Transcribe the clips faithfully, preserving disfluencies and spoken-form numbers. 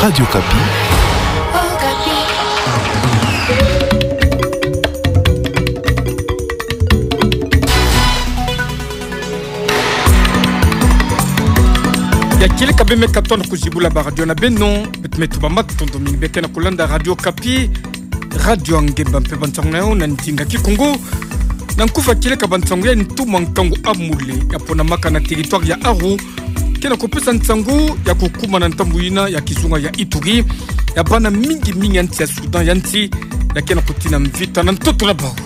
Radio Okapi. Ya kieleka bembe katona kuzibula ba radio na beno, beto me tubama matondo mingi beke na kulanda Radio Okapi, radio ya ngemba mpe bansangu na yo na ndinga Kikongo. Na nkufi ya kieleka bansangu ya ntumwa nkangu Amule, ya ponamaka na territoire ya Aru, ke na kupesa nsangu ya kukumana na ndambu yina ya kizunga ya Ituri, ya bana mingi mingi ya nsi ya Soudan ya nsi, ya ke na kutina mvita na ntoto na bau.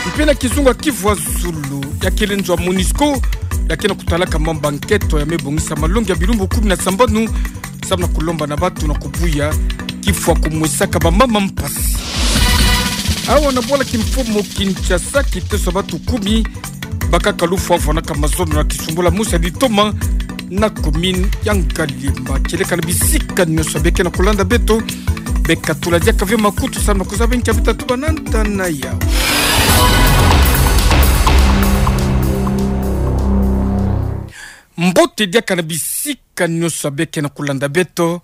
Mpe na kizunga Kivu ya Zulu, ya kele nzo ya MONUSCO, ya ke na kutalaka mambu ya nkento ya me bongisa malongi ya bilumbu kumi na sambanu, samu na kulomba na bato na kubuya kifwa kumwesaka bamama mpasi. Awa na bwala kimfumu Kinshasa, kiteso ya bato kumi bakaka lufwa vwanaka mazono na kisumbula mosi ya litoma na commune ya Ngaliema. Kieleka na bisika nyonso beke na kulanda beto, bekatula diaka ve makutu samu na kuzaba nkia beta tubana ntangu ya mbote diaka na bisika nyonso beke na kulanda beto.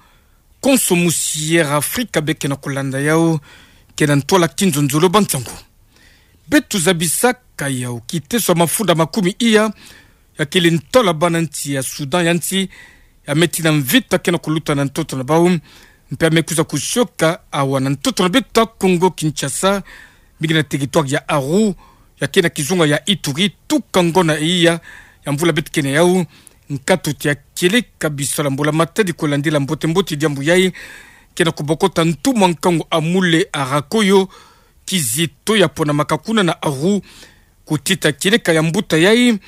Konso musi Air Afrika beke na kulanda yau, ke na ntwala kinzonzolo bansangu. Beto zabisaka yau, kiteso ya mafunda makumi iya, ya kele ntwala bana nsi ya Soudan ya nsi, ya me tina mvita ke na kuluta na ntoto na bau, mpe ya me kwiza kusioka awa na ntoto na beto ya Kongo Kinshasa, mingi na territoire ya Aru, ya ke na kizunga ya Ituri, tuka ngona iya ya mvula beto ke na yau. Nkatu ti ya kieleka bisalu ya mbula matadi kulandila mbote mbote diambu yai, ke na kubokota ntumwa nkangu Amule Arakoyo Kizito, ya ponamaka kuna na Aru, kutita kieleka ya mbuta yai,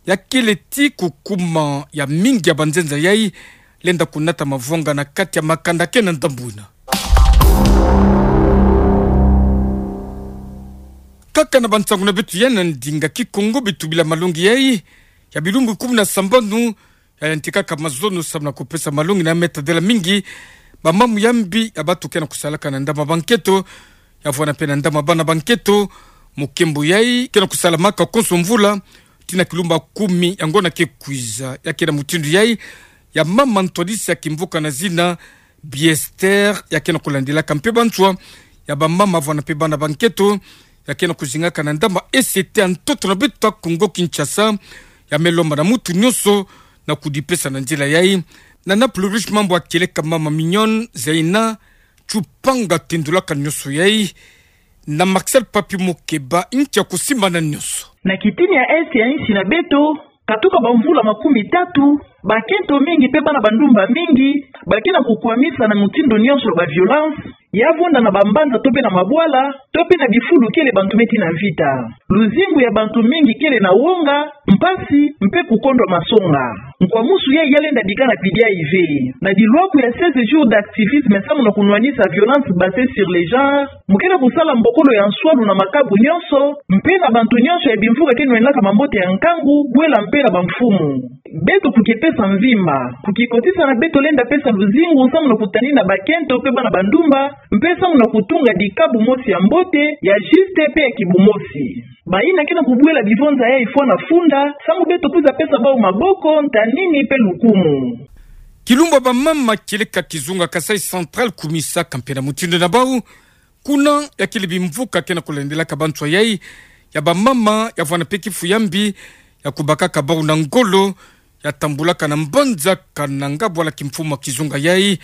ya kele ti kukuma ya mingi ya banzenza yai lenda kunata mavwanga na kati ya makanda ke na ndambu yina. Kaka na bansangu na beto ya na ndinga Kikongo, beto bila malongi yai ya bilumbu kumi na sambanu, ya yantikaka mazono samu na kupesa malongi na me tadila mingi bamama ya mbi ya bato ke na kusalaka na ndambu ya bankento, ya vwanda mpe na ndambu ya bana bankento. Mukembo yai ke na kusalamaka konso mvula, tina kilumbu kumi ya ngona ke kwiza. Ya ke na mutindu yai ya mama ntwadisi ya kimvuka na zina Biester, ya ke na kulandilaka mpe banswa ya bamama vwanda mpe bana bankento, ya ke na kuzingaka na ndambu ya E C T ya ntoto na beto ya Kongo Kinshasa, ya me lomba na mutu nyonso na kudipesa na nzila yai. Na na plus riche mambu ya kieleka mama Mignonne Zeina Tshupanga tendulaka nyonso yai na Marcel Papi Mukeba, nkia kusimbana nyonso. Na kitini ya Est ya nsi na beto, katuka bamvula makumi tatu, bakento mingi mpe bana bandumba mingi ba ke na kukwamisa na mutindu nyonso ba violence, ya vonda na bambanza to mpe na mabwala, to mpe na bifulu kele bantu me tina mvita. Luzingu ya bantu mingi kele na wonga, mpasi, mpe kukondwa masonga. Nkwamusu yai ya lenda bika na pidi ya ive. Na dilwaku ya seize jours d'activisme samu na kunwanisa violence basée sur le genre, mu ke na kusala mbokolo ya nswalu na makabu nyonso, mpe na bantu nyonso ya bimvuka ke nwanaka mambote ya nkangu, bwela mpe na bamfumu. Beto kukipesa mvimba, kukikotisa na beto lenda pesa luzingu samu na kutanina bakento mpe bana bandumba, mpe samu na kutunga dikabu mosi ya mbote, ya juste mpe ya kibumosi. Bayina ke na kubwela bivonza yai fwa na funda, samu beto kwiza pesa bau maboko, ntanini mpe lukumu. Kilumbu ya bamama kieleka kizunga Kasaï Central kumisaka mpe na mutindu na bau, kuna ya kele bimvuka ke na kulandilaka banswa yai ya bamama, ya vwanda mpe kifu ya mbi, ya kubakaka bau na ngolo, ya tambulaka na mbanza Kananga, bwala kimfumu ya kizunga yai,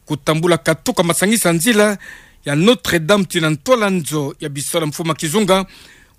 kutambula katuka masangisa nzila ya Notre-Dame tina ntwala nzo ya bisalu ya mfumu ya kizunga,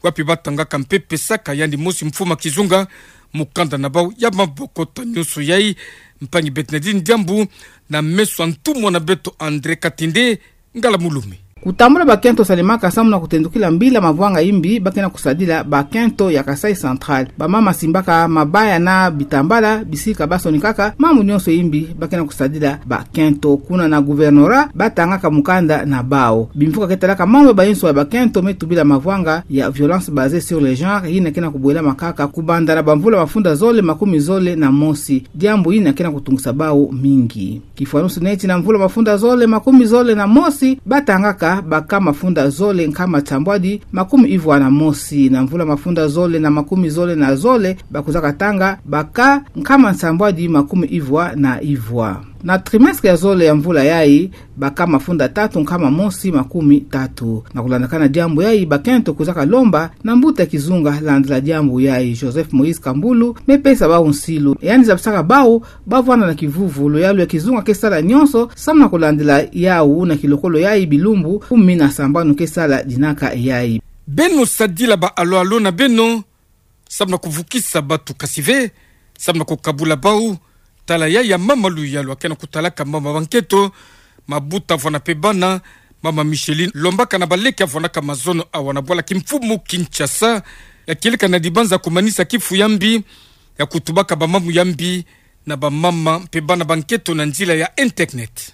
wapi ba tangaka mpe pesaka yandi mosi mfumu ya kizunga mukanda na bau ya mabokota nyonso yai. Mpangi Bernardine Diambu, na meso ya ntumwa na beto André Katende, Ngala Mulume. Kutambula bakento salemaka samu na kutendukila mbila mavwanga yimbi ba ke na kusadila bakento ya Kasaï Central. Bamama simbaka mabaya na bitambala, bisika ba sonikaka, mambu nyonso yimbi ba ke na kusadila bakento. Kuna na gouvernorat, ba tangaka mukanda na bau. Bimvuka ke talaka mambu ya bayinswa ya bakento me tubila mavwanga ya violence basée sur le genre, yina ke na kubwelama kaka kubanda na bamvula mafunda zole makumi zole na mosi. Diambu yina ke na kutungisa bau mingi. Kifwanusu neti na mvula mafunda zole makumi zole na mosi, ba tangaka baka mafunda zole nkama nsambwadi makumi ivwa na mosi. Na mvula mafunda zole na makumi zole na zole, ba kwizaka tanga baka nkama nsambwadi makumi ivwa na ivwa. Na trimestre ya zole ya mvula yayi, baka mafunda tatu nkama mosi makumi tatu. Na kulandaka na diambu yayi, bakento kwizaka lomba na mbuta ya kizunga landila diambu yayi, Joseph Moïse Kambulu, me pesa bawu nsilu. Yandi zabisaka bawu bavwanda na kivuvu, luyalu ya kizunga ke sala nyonso, samu na kulandila yawu na kilokolo yayi bilumbu kumi na sambanu ke sala dinaka yayi. Beno sadila ba alo-alo na beno, samu na kuvukisa batu kasi ve, samu na kukabula bawu, tala yayi ya mama Luyalu, akena kutalaka mama bankento, mabuta vwanda pe bana, mama Micheline, lombaka na baleke ya vwandaka mazono awa na bwala kimfumu Kinshasa, ya kieleka na dibanza kumanisa kifu ya mbi, ya kutubaka bamambu ya mbi, na bamama mpe bana bankento na nzila ya internet.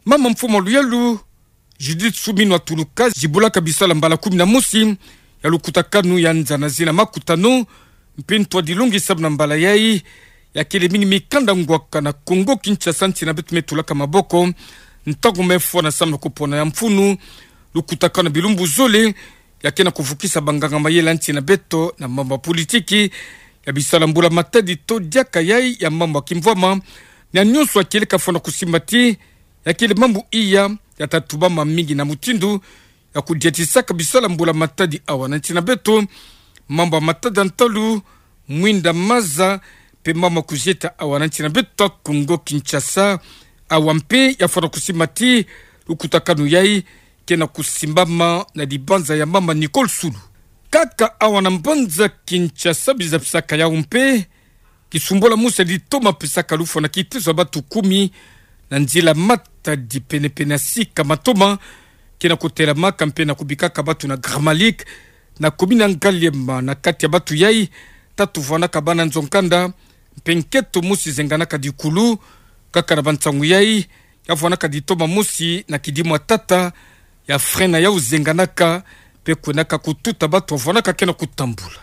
Mama mfumu Luyalu, Judith Suminwa Tuluka, zibulaka bisalu ya mbala kumi na mosi ya lukutakanu ya nza na zina makutano, mpe ntwadilongi samu na mbala yayi, ya kele mingi mikanda ngwaka na Kongo Kinshasa, nsi na beto me tulaka maboko, ntangu me fwana samu na kupona ya mfunu, lukutakanu ya bilumbu zole, ya kena kuvukisa banganga mayele ya nsi na beto na mambu ya politiki, ya bisalu ya mbula matadi to diaka yayi ya mambu ya kimvwama, na nyonso ya kieleka fwana kusimba ti, ya kele mambu iya, ya ta tubama mingi na mutindu ya kudiatisaka bisalu ya mbula matadi awa na nsi na beto, mambu ya matada ntalu, mwinda maza, mpe mambu ya kuzieta awa na nsi na beto Kongo Kinshasa, awa mpe ya fwana kusimba ti, lukutakanu yayi, kena kusimbama na dibanza ya mama Nicole Sulu. Kaka awa na mbanza Kinshasa bizabisaka yawu mpe, kisumbula mosi ya litoma pesaka lufwa na kiteso ya batu kumi, na nzila matadi pene-pene ya sika matoma, kena kutelamaka mpe na kubikaka batu na Gramalique, na commune ya Ngaliema, na kati ya batu yayi, tatu vwandaka bana nzo nkanda, mpe nkento mosi zenganaka dikulu, kaka na bansangu yayi, ya vwandaka litoma mosi na kidimu ya tata, ya frein na yawu zenganaka, mpe kwenaka kututa batu ya vwandaka kena kutambula.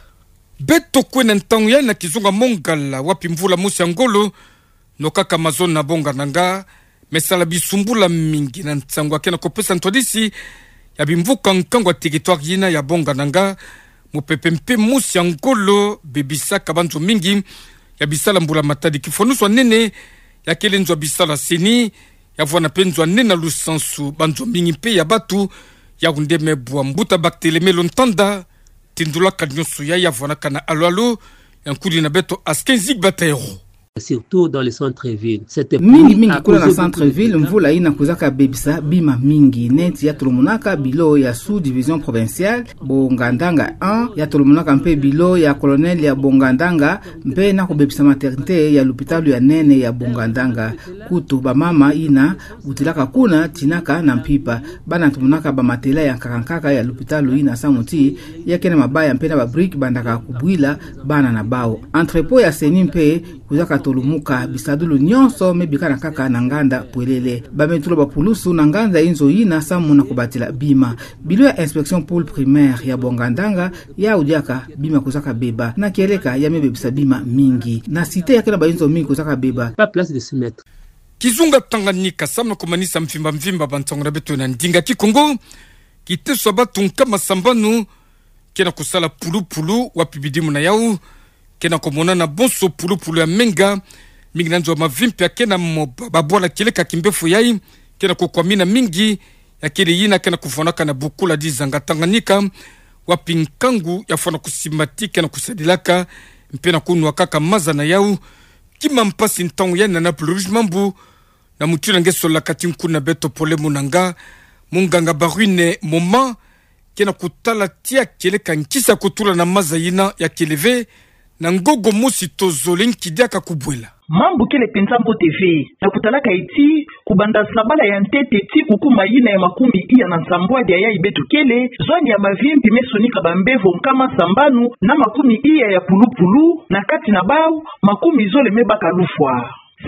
Beto kwe na ntangu yayi na kizunga Mongala, wapi mvula mosi ya ngolo, nokaka mazono na bongandanga, me sala bisumbula mingi na nsangu ya kena kupesa ntwadisi ya bimvuka nkangu ya territoire yina ya bongandanga, mupepe mpe mosi ya ngolo bebisaka banzo mingi ya bisalu ya mbula matadi. Kifwanusu ya nene ya kele nzo ya bisalu ya CENI, ya vwanda mpe nzo ya nene ya lusansu banzo mingi mpe ya batu, yawu nde me bwa mbuta Barthelemy Lontanda, tindulaka nyonso yayi ya vwandaka na alo-alo ya nkudi na beto Askin Zigbataero. Surtout dans le centre-ville. Mingi mingi kuna na centre-ville, mvula yina kwizaka bebisa bima mingi, neti ya tolomonaka bilo ya sous-division provinciale Bongandanga un, ya tolomonaka mpe bilo ya colonel ya Bongandanga, mpe na kubebisa maternité ya lupitalu ya nene ya Bongandanga. Kutu bamama yina wutilaka kuna tinaka na mpimpa. Bana tomonaka bamatela ya nkaka-nkaka ya lupitalu yina samu ti, ya kena mabaya mpe na babrique bandaka kubwila bana na bawu. Entrepôt ya CENI mpe kwizaka tolomuka, bisadulu nyonso me bikana kaka na nganda pwelele. Ba me tula bapulusu na nganda inzo yina samu na kubatila bima. Bilo ya inspection pôle primaire ya Bongandanga, yawu diaka bima kwizaka beba. Na kieleka ya me bebisa bima mingi. Na cité ya kena bainzo mingi kwizaka beba. Pas place de se mettre. Kizunga Tanganyika, samu na kumanisa mvimba-mvimba bansangu na beto na ndinga Kikongo, kiteso ya batu nkama sambanu kena kusala pulupulu, wapi bidimu na yawu kena kumonana bonso pulupulu ya menga, mingi na nzo ya mavimpi ya kena moba. Babwala kieleka kimbefo yayi kena kukwamina mingi, ya kele yina kena kuvwandaka na bukula dizanga Tanganyika, wapi nkangu ya fwana kusimba ti kena kusadilaka mpe na kunwakaka maza na yawu. Kima mpasi ntangu yayi na Naples Rouge Mambu, na mutindu nge solaka ti nkuna beto Pole Munanga, munganga Barwine Moma, kena kutala tia kieleka nkisi ya kutula na maza yina ya kele ve na ngogo mosi to zole nki diaka kubwela. Mambu kele penza mbote ve, na kutalaka ti, kubanda sabala ya ntete ti kukuma yina ya makumi iya na nsambwadi ya yayi beto kele, zoni ya mavimpi me sonika bambevo nkama sambanu na makumi iya ya pulupulu, na kati na bawu, makumi zole me baka lufwa.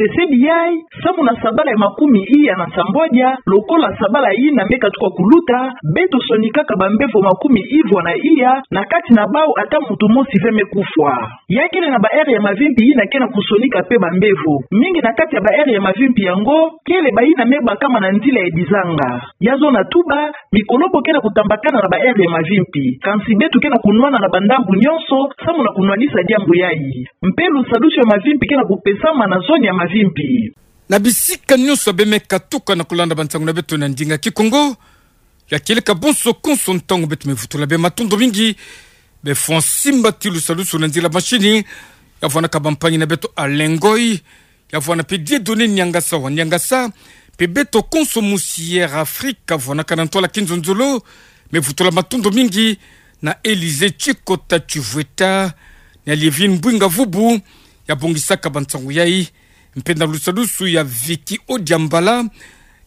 Esedi yai, samu na sabala ya makumi iya na nsambwadia, lokola sabala yina me katuka kuluta, beto sonikaka bambevo makumi ivwa na iya, na kati na bau ata muntu mosi ve me kufwa. Ya kele na ba aire ya mavimpi yina ke na kusonika pe bambevo. Mingi na kati ya ba aire ya mavimpi yango, kele bayina me bakama na nzila ya dizanga. Ya zona tuba, mikolobo ke na kutambakana na ba aire ya mavimpi. Kansi beto ke na kunwana na bandambu nyonso, samu na kunwanisa diambu yai. Mpe lusadusu ya mavimpi ke na kupesama na zone ya mavimpi. Na bisika nyonso bê me katuka na kulanda bansangu na beto na ndinga Kikongo, ya kieleka bonso konso ntangu beto me vutula bê matondo mingi, bê fwa nsimbati lusadusu na nzila machine, ya vwanaka bampangi na beto Alain Ngoy, ya vwana pe Dieudonné Niangasa wa Niangasa, pe beto konso musi Air Afrique, vwanaka na ntwala kinzonzolo, me vutula matondo mingi na Élysée Tchikota Tchivweta, na Liévine Mbwinga Vubu, ya bongisaka bansangu yai, mpe na lusadusu ya Vicky Odiambala,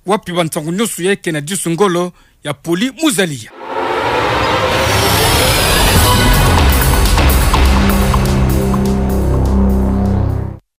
wapi bansangu nyonso yai ke na disu ngolo ya Poli Muzalia.